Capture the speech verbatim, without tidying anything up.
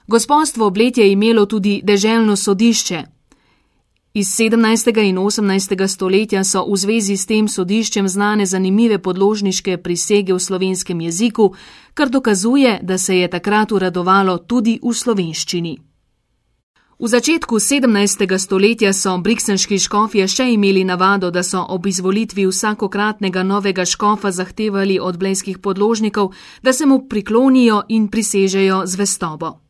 Gospodstvo Bled je imelo tudi deželno sodišče. Iz sedemnajstega in osemnajstega stoletja so v zvezi s tem sodiščem znane zanimive podložniške prisege v slovenskem jeziku, kar dokazuje, da se je takrat uradovalo tudi v slovenščini. V začetku sedemnajstega stoletja so briksenški škofje še imeli navado, da so ob izvolitvi vsakokratnega novega škofa zahtevali od blejskih podložnikov, da se mu priklonijo in prisežejo zvestobo.